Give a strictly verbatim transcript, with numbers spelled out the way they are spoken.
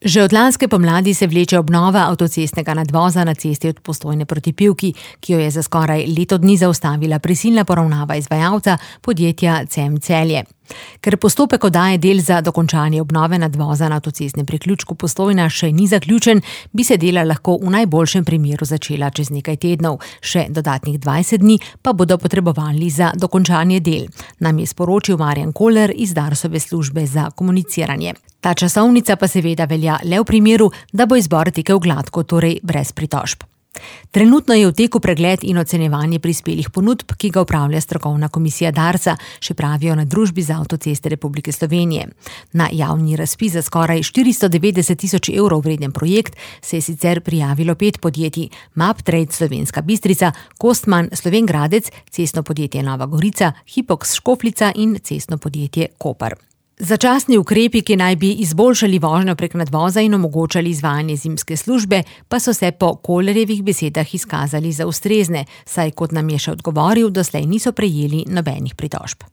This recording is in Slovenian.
Že od lanske pomladi se vleče obnova avtocestnega nadvoza na cesti od Postojne proti Pivki, ki jo je za skoraj leto dni zaustavila prisilna poravnava izvajalca, podjetja Cem Celje. Ker postopek oddaje del za dokončanje obnove nadvoza na avtocestnem priključku Postojna še ni zaključen, bi se dela lahko v najboljšem primeru začela čez nekaj tednov, še dodatnih dvajset dni pa bodo potrebovali za dokončanje del, nam je sporočil Marjan Koller iz Darsove službe za komuniciranje. Ta časovnica pa seveda velja le v primeru, da bo izbor tekel gladko, torej brez pritožb. Trenutno je v teku pregled in ocenjevanje prispelih ponudb, ki ga upravlja strokovna komisija Darsa, še pravijo na Družbi za avtoceste Republike Slovenije. Na javni razpis za skoraj štiristo devetdeset tisoč evrov vreden projekt se je sicer prijavilo pet podjetij: Maptrade Slovenska Bistrica, Kostman Sloven Gradec, cestno podjetje Nova Gorica, Hipox Škofljica in cestno podjetje Koper. Začasni ukrepi, ki naj bi izboljšali vožnjo prek nadvoza in omogočali izvajanje zimske službe, pa so se po Kollerjevih besedah izkazali za ustrezne, saj, kot nam je še odgovoril, doslej niso prejeli nobenih pritožb.